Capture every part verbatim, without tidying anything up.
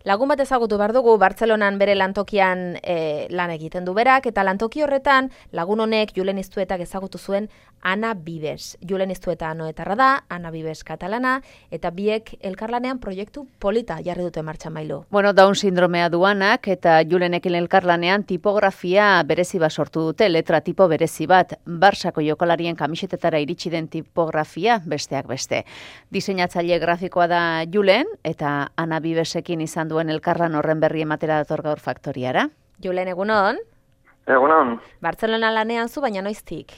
Lagun bat ezagutu behar dugu, Bartzelonan bere lantokian e, lan egiten du berak, eta lantoki horretan lagun honek Julen Iztuetak ezagutu zuen Ana Vives. Julen Iztueta anoetarra da, Ana Vives katalana, eta biek elkarlanean proiektu polita jarri dute martxan Mailu. Bueno, Down sindromea duanak eta Julenekin elkarlanean tipografia berezi bat sortu dute, letra tipo berezi bat, Barsako jokalarien kamisetetara iritsi den tipografia besteak beste. Diseinatzaile grafikoa da Julen, eta Ana Vivesekin izan duen elkarlan horren berri ematera dator gaur faktoriara. Julen, egunon? Egunon. Bartzelona lanean zu, baina noiztik?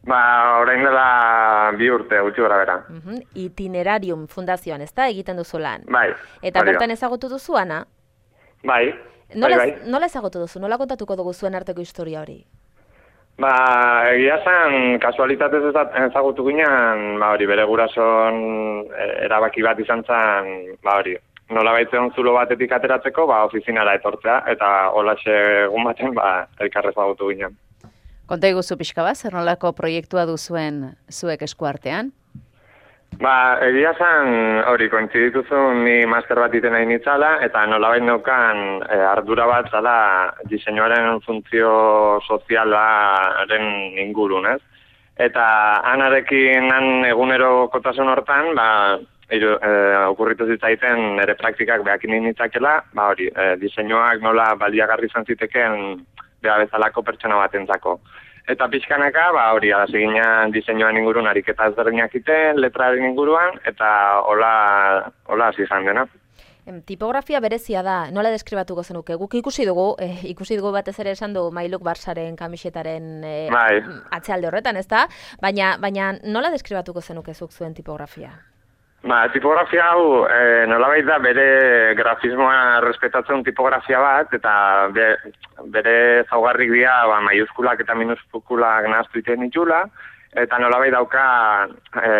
Ba, orain dela bi urte, gutxi gora bera. Uh-huh. Itinerarium fundazioan, ez da, egiten duzu lan? Bai. Eta bertan ezagutu duzu, Ana? Bai, nola, bai, bai. Nola ezagutu duzu? Nola kontatuko dugu zuen arteko historia hori? Ba, egia zen, kasualitatez ezagutu ginen, ba hori, bere gurason erabaki bat izan zen, ba hori, nola baitzen zulo batetik ateratzeko, ba, ofizinara etortzea, eta holaxe egun baten, ba, elkarre ezagutu ginen. Konta iguzu pixka bat, zer nolako proiektua duzuen zuek eskuartean? Ba, egia zen, hori, kointzidituzun ni master bat iten nahi nitzala, eta nolabait neukan e, ardura bat zala diseinuaren funtzio sozialaren ingurun, ez? Eta anarekin han egunero kotasun hortan, ba, iru, e, okurritu zitzaiten nire praktikak behakin nitzakela, ba hori, e, diseinuak nola baliagarri izan ziteken beha bezalako pertsona batentzako. Eta pixkanaka, ba hori, hasi ginen diseinuan ingurun ariketa ezberdinak iten, letraren inguruan, eta hola, hola hasi izan dena. Tipografia berezia da, nola deskribatuko zenuke? Guk ikusi dugu, eh, ikusi dugu batez ere esan du Mailuk Barsaren kamisetaren eh, bai. atzealde horretan, ez da? Baina, baina nola deskribatuko zenuke zuk zuen tipografia? Ba, tipografia hau e, nolabait da bere grafismoa respetatzen tipografia bat, eta be, bere zaugarrik dira ba, maiuskulak eta minuskulak nahaztu iten ditula, eta nolabait dauka e,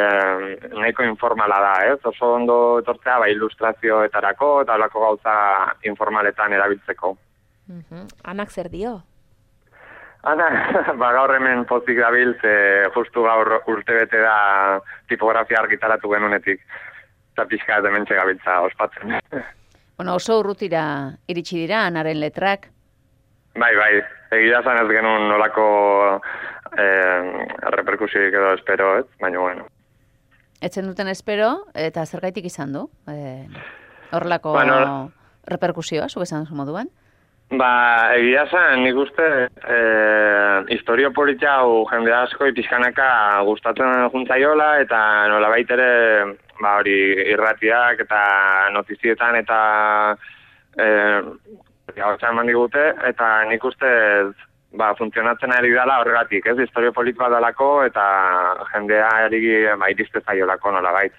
nahiko informala da, ez? Oso ondo etortzea ba, ilustrazioetarako eta holako gauza informaletan erabiltzeko. Uh-huh. Anak zer dio? Ana, ba, gaur hemen pozik dabil, ze justu gaur urtebete da tipografia argitaratu genunetik. Eta pixka ez dementxe gabiltza ospatzen. Bueno, oso urrutira iritsi dira, Anaren letrak? Bai, bai. Egia zan ez genuen nolako eh, reperkusioik edo espero, ez? Baina, bueno. Etzen duten espero, eta zergaitik izan du? Eh, horrelako bueno, reperkusioa, zuk esan zu moduan? Ba, egia zen, nik uste e, historio politia hau jende asko ipizkanaka gustatzen juntzaiola, eta nolabait ere ba, hori, irratiak eta notizietan eta e, gautza eman digute, eta nik uste ba, funtzionatzen ari dela horregatik, ez? Historio politikoa dalako eta jendea eri ba, iriste zaiolako nolabait.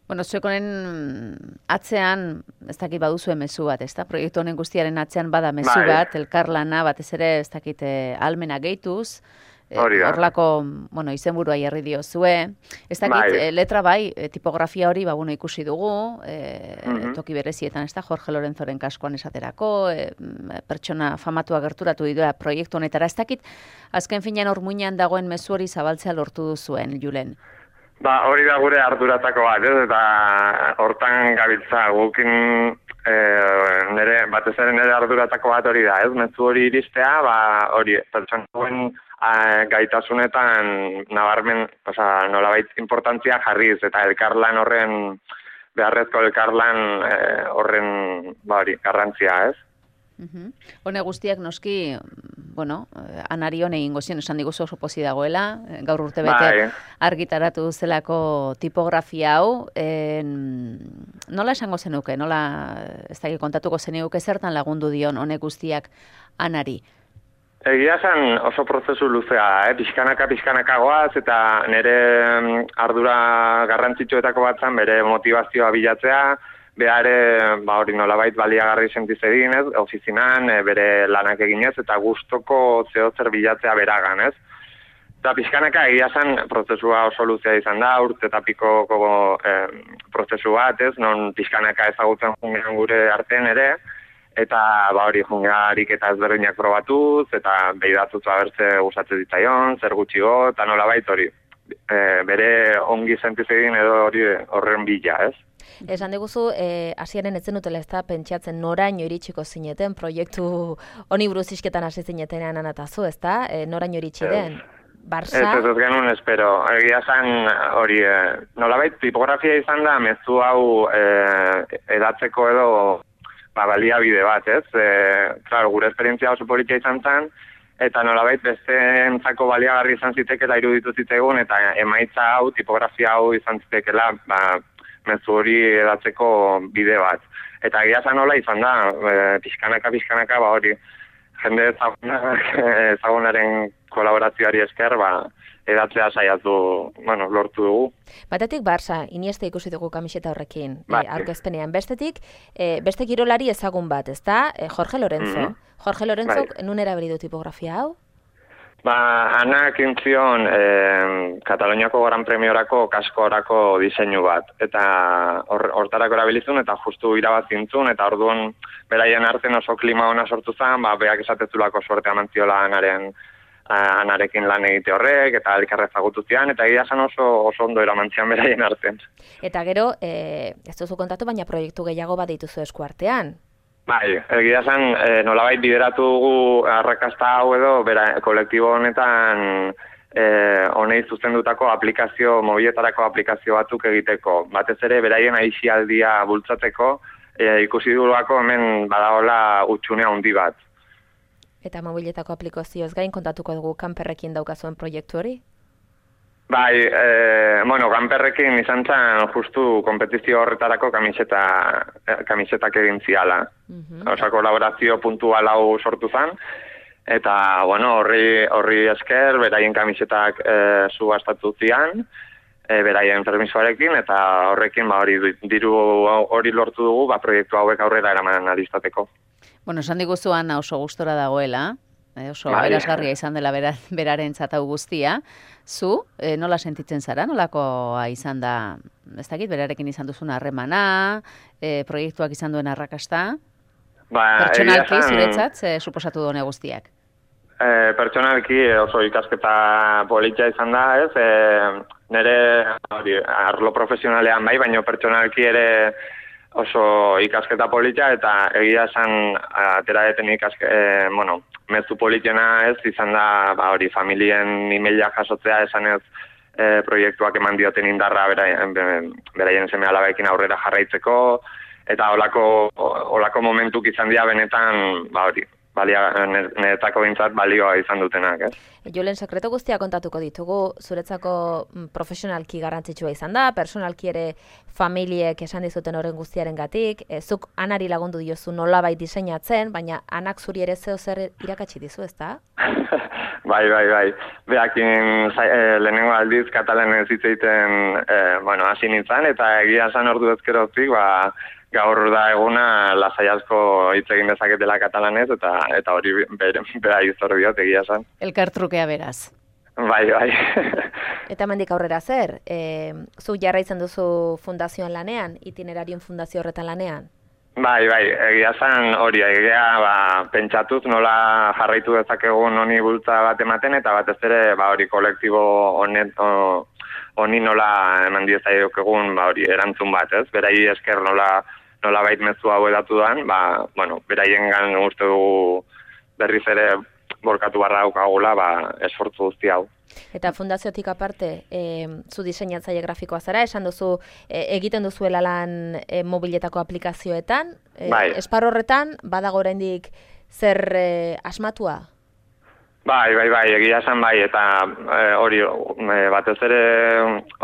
Bueno, zuek honen atzean, ez dakit baduzue mezu bat, ez da? Proiektu honen guztiaren atzean bada mezu bai. bat, elkarlana, batez ere, ez dakit, almena gehituz, horlako, bueno, izenburua jarri diozue, ez dakit, bai. letra bai, tipografia hori, ba, bueno, ikusi dugu, e, uh-huh. toki berezietan, ez da, Jorge Lorenzoren kaskoan esaterako, e, pertsona famatua gerturatu dira proiektu honetara, ez dakit, azken finean hor muinean dagoen mezu hori zabaltzea lortu duzuen, Julen. Ba, hori da gure arduratako bat, ez? Eta hortan gabiltza gukin e, nere, batez ere nire arduratako bat hori da, ez? Mezu hori iristea, ba, hori, pertsonakoen gaitasunetan nabarmen, oza, nolabait importantzia jarriz, eta elkarlan horren, beharrezko elkarlan e, horren, ba, hori, garrantzia, ez? Uh-huh. Hone guztiak noski, bueno, Anari hone egingo zion, esan diguzu oso pozi dagoela, gaur urte bete bai. argitaratu zelako tipografia hau, en, nola esango zenuke, nola, ez da kontatuko zenuke zertan lagundu dion honek guztiak Anari? Egia zen oso prozesu luzea, eh? pixkanaka, pixkanaka goaz, eta nire ardura garrantzitsuetako bat zen, bere motivazioa bilatzea, behare, ba hori nolabait baliagarri sentiz egin, ez, ofizinan, e, bere lanak eginez, eta gustoko zehozer bilatzea beragan, ez. Eta pixkanaka egia zen prozesua oso luzea izan da, urte eta pikoko e, prozesu bat, ez, non pixkanaka ezagutzen jungean gure artean ere, eta ba hori jungearik eta ezberdinak probatuz, eta behidatuz abertze gustatzen ditzaion, zer gutxigo, eta nolabait hori, e, bere ongi sentiz egin edo hori horren bila, ez. Esan diguzu, hasiaren eh, etzen dutela ez da, pentsatzen noraino iritsiko zineten, proiektu honi buruz isketan hasi zinetenean anatazu, ez da? E, noraino iritsi den? Barça? Ez ez ez genuen espero. Egia zan hori, eh, nolabait tipografia izan da, mezu hau eh, edatzeko edo ba, baliabide bat, ez? E, claro, gure esperientzia oso politia izan zen, eta nolabait besteentzako baliagarri izan zitekela iruditu zitzaigun, eta emaitza hau, tipografia hau izan zitekela, ba, mezu hori edatzeko bide bat. Eta egia zan nola izan da, e, pixkanaka, pixkanaka, ba hori, jende ezagunaren kolaborazioari esker, ba, edatzea saiatu, bueno, lortu dugu. Batetik Barça, Iniesta ikusi dugu kamiseta horrekin, bai. e, aurkezpenean. Bestetik, e, beste kirolari ezagun bat, ezta? E, Jorge Lorenzo. Mm -hmm. Jorge Lorenzo, bai. Nun erabili du tipografia hau? Ba, anak intzion eh, Kataloniako Gran Premiorako kaskorako diseinu bat. Eta hortarako or, erabilizun, eta justu irabazintzun, eta orduan beraien artean oso klima ona sortu zen, ba, beak esatezulako suertea mantziola anaren anarekin lan egite horrek, eta elkarre ezagutu zian, eta egia zen oso, oso ondo eramantzian beraien artean. Eta gero, e, ez duzu kontatu, baina proiektu gehiago bat dituzu esku artean. Bai, egia zen, e, nolabait bideratu dugu arrakasta hau edo, bera, kolektibo honetan e, honei zuzendutako aplikazio, mobiletarako aplikazio batzuk egiteko. Batez ere, beraien aisialdia bultzatzeko, e, ikusi duguako hemen badagola utxunea handi bat. Eta mobiletako aplikazioz gain kontatuko dugu kanperrekin daukazuen proiektu hori? Bai, e, bueno, kanperrekin izan zen justu kompetizio horretarako kamiseta, kamisetak egin ziala. Uh-huh. Osa, kolaborazio puntual hau sortu zen, eta, bueno, horri, horri esker, beraien kamisetak e, subastatu zian, e, beraien permisoarekin, eta horrekin, ba, hori diru hori lortu dugu, ba, proiektu hauek aurrera eraman alizateko. Bueno, esan diguzuan oso gustora dagoela, eh, oso bai. Berazgarria izan dela bera, beraren zatau guztia. Zu, eh, nola sentitzen zara, nolakoa izan da, ez dakit, berarekin izan duzun harremana, eh, proiektuak izan duen arrakasta? Ba, pertsonalki, zuretzat, eh, suposatu dune guztiak? Eh, pertsonalki oso ikasketa politia izan da, ez? Eh, nire hori, arlo profesionalean bai, baina pertsonalki ere oso ikasketa politia, eta egia esan atera deten ikaske, e, bueno, mezu politiena ez, izan da, ba hori, familien emaila jasotzea esan ez e, proiektuak eman dioten indarra beraien, beraien seme alabekin aurrera jarraitzeko, eta olako, olako momentuk izan dira benetan, ba hori, balia, niretako bintzat balioa izan dutenak, ez? Julen, sekreto guztia kontatuko ditugu, zuretzako profesionalki garrantzitsua izan da, personalki ere familiek esan dizuten horren guztiaren gatik, e, zuk anari lagundu diozu nolabait diseinatzen, baina anak zuri ere zeo zer irakatsi dizu, ez da? Bai, bai, bai. Beakin e, lehenengo aldiz katalanez hitz egiten, e, bueno, hasi nintzen, eta egia esan ordu ezkerotik, ba, gaur da eguna lasai asko hitz egin dezaketela katalanez, eta eta hori bera, bera izor diot egia esan. Elkartrukea beraz. Bai, bai. Eta mendik aurrera zer? E, zu jarraitzen duzu fundazioan lanean, itinerarioen fundazio horretan lanean? Bai, bai, egia zen hori, egia ba, pentsatuz nola jarraitu dezakegun honi bultza bat ematen, eta batez ere ba, hori kolektibo honet, o, honi nola eman diezaiok egun ba, hori erantzun bat, ez? Berai esker nola nola bait mezu hau edatu dan, ba, bueno, beraien gan uste dugu berriz ere borkatu barra daukagula, ba, esfortzu guzti hau. Eta fundaziotik aparte, e, zu diseinatzaile grafikoa zara, esan duzu e, egiten duzuela lan e, mobiletako aplikazioetan, e, bai. Esparru horretan, badago oraindik zer e, asmatua? Bai, bai, bai, egia esan bai, eta hori e, batez ere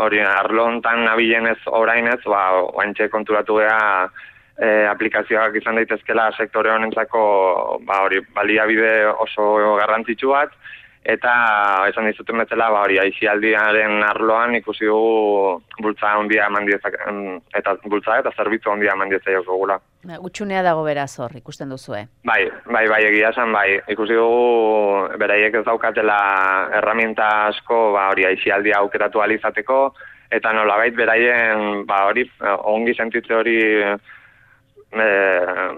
hori arlo hontan nabilenez orainez, ba, oaintxe konturatu geha e, aplikazioak izan daitezkela sektore honentzako ba, hori, baliabide oso garrantzitsu bat, eta esan dizuten bezala, ba, hori, aisialdiaren arloan ikusi dugu bultza handia eman diezak, eta bultza eta zerbitzu handia eman diezaiok gula. Gutxunea dago beraz hor, ikusten duzue. Bai, bai, bai, egia esan, bai. Ikusi dugu, beraiek ez daukatela herramienta asko, ba, hori, aisialdia aukeratu alizateko, eta nolabait beraien, ba, hori, ongi sentitze hori e,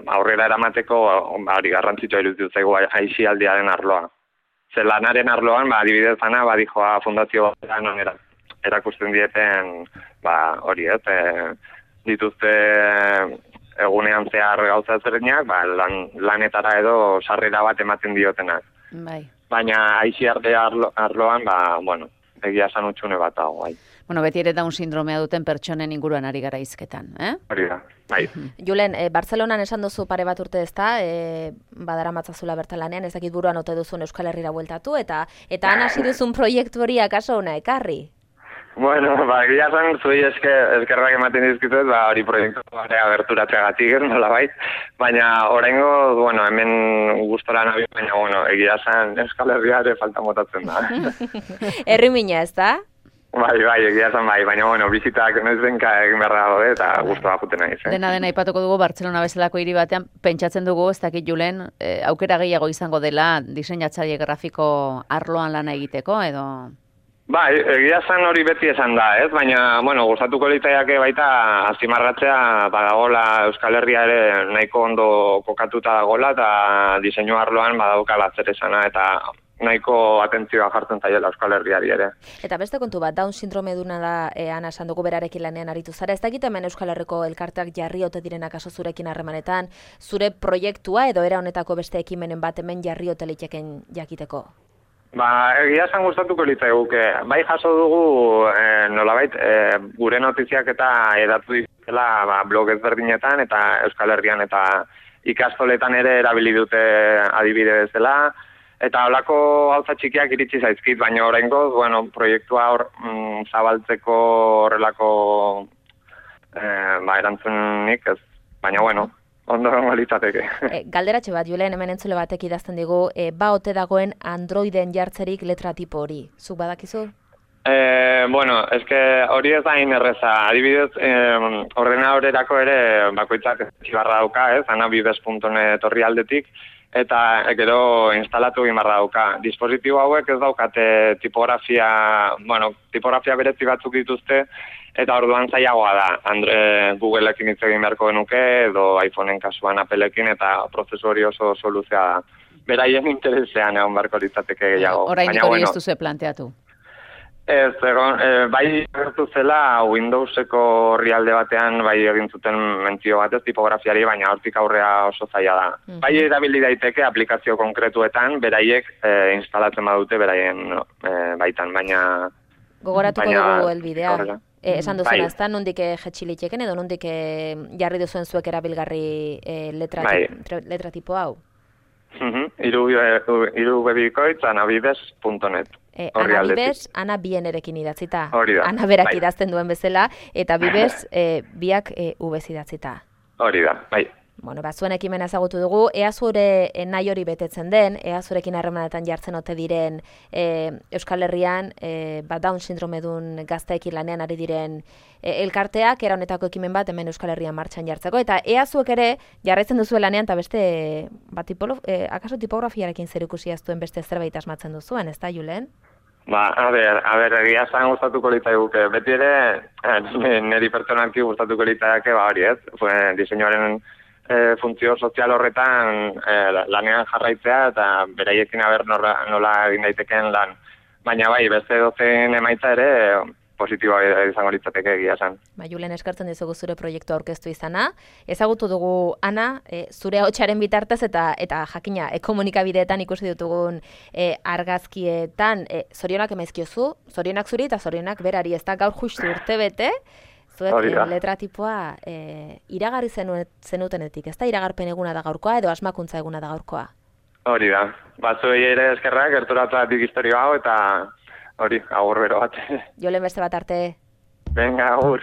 aurrera eramateko, ba, hori, garrantzitsua iruditu zaigu aisialdiaren arloa. Zer lanaren arloan, ba, adibidez ana, ba, dijoa fundazio non erakusten dieten, ba, hori, ez, e, dituzte egunean zehar gauza ezberdinak, ba, lan, lanetara edo sarrera bat ematen diotenak. Bai. Baina aixiarte arlo, arloan, ba, bueno, egia esan utxune bat dago, bai. Bueno, beti ere Down sindromea duten pertsonen inguruan ari gara hizketan, eh? Hori da, bai. Julen, e, Bartzelonan esan duzu pare bat urte ezta, e, badara matzazula bertan lanean, ez dakit buruan ote duzun Euskal Herrira bueltatu, eta eta han hasi duzun proiektu hori akaso ona ekarri? Bueno, ba, egia esan, zuei eske, eskerrak ematen dizkitut, ba, hori proiektu bare aberturatzeagatik, nola bait, baina oraingo, bueno, hemen gustora nabi, baina, bueno, egia esan Euskal Herria ere falta motatzen da. Herri mina, ez da? Bai, bai, egia esan bai, baina, bueno, bizitak noiz benka egin behar dago, eta gustora juten naiz. Eh? Dena dena aipatuko dugu Bartzelona bezalako hiri batean, pentsatzen dugu, ez dakit Julen, eh, aukera gehiago izango dela diseinatzaile grafiko arloan lana egiteko, edo... Bai, egia esan hori beti esan da, ez? Baina, bueno, gustatuko litaiake baita azpimarratzea badagola Euskal Herria ere nahiko ondo kokatuta dagola eta diseinu arloan badaukala zer esana eta nahiko atentzioa jartzen zaiela Euskal Herriari ere. Eta beste kontu bat, Down sindrome duna da, e, Ana esan dugu berarekin lanean aritu zara, ez dakit hemen Euskal Herriko elkarteak jarri ote direnak aso zurekin harremanetan, zure proiektua edo era honetako beste ekimenen bat hemen jarri ote liteken jakiteko? Ba, egia esan gustatuko litzaiguke. Bai jaso dugu, e, nolabait, e, gure notiziak eta edatu dituzela ba, blog ezberdinetan eta Euskal Herrian eta ikastoletan ere erabili dute adibide bezala. Eta holako gauza txikiak iritsi zaizkit, baina oraingoz, bueno, proiektua hor mm, zabaltzeko horrelako eh, ba, erantzunik ez, baina bueno, ondo gongo litzateke. E, galderatxe bat, Julen, hemen entzule batek idazten digu, e, ba ote dagoen Androiden jartzerik letra tipo hori, zuk badakizu? Eh, bueno, eske hori ez da hain erreza, adibidez, eh, ordenadorerako ere bakoitzak zibarra dauka, ez, anabibes puntu net horri aldetik, eta gero instalatu egin barra dauka. Dispositibo hauek ez daukate tipografia, bueno, tipografia berezi batzuk dituzte, eta orduan zailagoa da. Andre, Googleekin hitz egin beharko genuke, edo iPhoneen kasuan Appleekin, eta prozesu hori oso soluzioa da. Beraien interesean egon beharko litzateke gehiago. Orain hori ez duzu planteatu. Ez, egon, e, bai gertu zela Windowseko orrialde batean bai egin zuten mentzio batez tipografiari, baina hortik aurrea oso zaila da. Mm-hmm. Bai erabili daiteke aplikazio konkretuetan, beraiek e, instalatzen badute beraien e, baitan, baina... Gogoratuko baina, dugu elbidea. E, esan duzuna, bai. Ez da, nondik jetxilitxeken edo nondik jarri duzuen zuek erabilgarri e, letra, bai. tip, letra tipo hau? Mm-hmm. Iru, iru bebikoitz anabibes puntu net. E, Ana Bibes, Ana bien erekin idatzita. Hori da. Ana berak bai. idazten duen bezala, eta Bibes e, biak e, ubez idatzita. Hori da, bai. Bueno, ba, zuen ekimena ezagutu dugu, ea zure e, nahi hori betetzen den, ea zurekin harremanetan jartzen ote diren e, Euskal Herrian, e, ba, Down sindromedun gazteekin lanean ari diren e, elkarteak, era honetako ekimen bat hemen Euskal Herrian martxan jartzeko, eta ea zuek ere jarraitzen duzu lanean, eta beste, ba, tipolo, e, akaso tipografiarekin zerikusia zuen beste zerbait asmatzen duzuen, ez da, Julen? Ba, a ber, a ber, egia esan gustatuko litzaiguke. Beti ere, eh, niri pertsonalki gustatuko litzaike, ba hori ez, diseinuaren e, funtzio sozial horretan e, lanean jarraitzea eta beraiekin aber nola, nola egin daitekeen lan. Baina bai, beste dozen emaitza ere positiboa izango litzateke egia esan. Ba, Julen, eskartzen dizugu zure proiektu aurkeztu izana. Ezagutu dugu, Ana, e, zure ahotsaren bitartez eta eta jakina, e, komunikabideetan ikusi ditugun e, argazkietan, e, zorionak emaizkiozu, zorionak zuri eta zorionak berari, ez da gaur justu urte bete, zuek e, letra tipoa e, iragarri zenutenetik, ez da iragarpen eguna da gaurkoa edo asmakuntza eguna da gaurkoa? Hori da, batzuei ere eskerrak, gerturatzatik historio hau eta hori, agur bero bat. Julen, beste bat arte. Venga, agur.